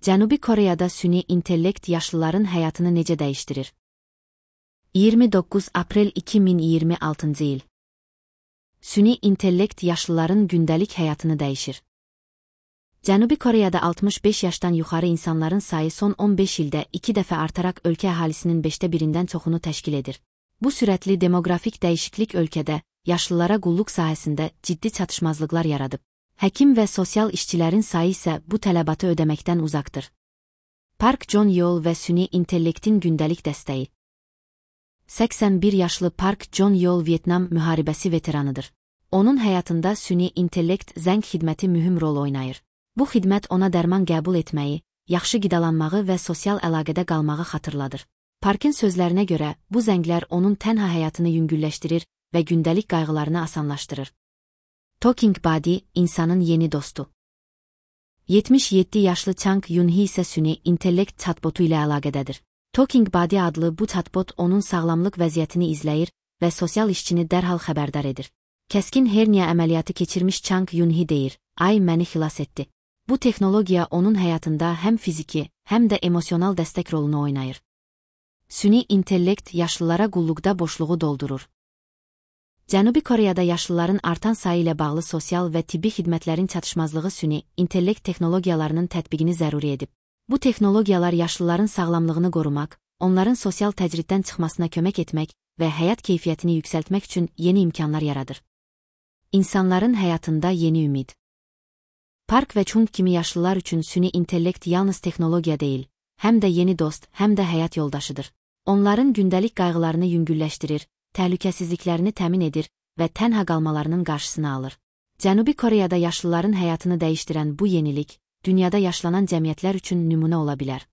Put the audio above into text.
Cənubi Koreyada süni intellekt yaşlıların həyatını necə dəyişdirir? 29 aprel 2026 il. Süni intellekt yaşlıların gündəlik həyatını dəyişir. Cənubi Koreyada 65 yaşdan yuxarı insanların sayı son 15 ildə 2 dəfə artaraq ölkə əhalisinin 5də 1-dən çoxunu təşkil edir. Bu sürətli demoqrafik dəyişiklik ölkədə yaşlılara qulluq sahəsində ciddi çatışmazlıqlar yaradıb. Həkim və sosial işçilərin sayı isə bu tələbatı ödəməkdən uzaqdır. Park Jong-yeol və süni intellektin gündəlik dəstəyi. 81 yaşlı Park Jong-yeol Vyetnam müharibəsi veteranıdır. Onun həyatında süni intellekt zəng xidməti mühüm rol oynayır. Bu xidmət ona dərman qəbul etməyi, yaxşı qidalanmağı və sosial əlaqədə qalmağı xatırladır. Parkın sözlərinə görə, bu zənglər onun tənha həyatını yüngülləşdirir və gündəlik qayğılarını asanlaşdırır. Talking Body, insanın yeni dostu. 77 yaşlı Chang Yun-hee isə süni intellekt chatbotu ilə əlaqədədir. Talking Body adlı bu chatbot onun sağlamlıq vəziyyətini izləyir və sosial işçini dərhal xəbərdar edir. Kəskin herniya əməliyyatı keçirmiş Chang Yun-hee deyir, "Ay, məni xilas etdi." Bu texnologiya onun həyatında həm fiziki, həm də emosional dəstək rolunu oynayır. Süni intellekt yaşlılara qulluqda boşluğu doldurur. Cənubi Koreyada yaşlıların artan sayı ilə bağlı sosial və tibbi xidmətlərin çatışmazlığı süni intellekt texnologiyalarının tətbiqini zəruri edib. Bu texnologiyalar yaşlıların sağlamlığını qorumaq, onların sosial təcriddən çıxmasına kömək etmək və həyat keyfiyyətini yüksəltmək üçün yeni imkanlar yaradır. İnsanların həyatında yeni ümid. Park və Chung kimi yaşlılar üçün süni intellekt yalnız texnologiya deyil, həm də yeni dost, həm də həyat yoldaşıdır. Onların gündəlik qayğılarını yüngülləşdirir, təhlükəsizliklərini təmin edir və tənha qalmalarının qarşısını alır. Cənubi Koreyada yaşlıların həyatını dəyişdirən bu yenilik, dünyada yaşlanan cəmiyyətlər üçün nümunə ola bilər.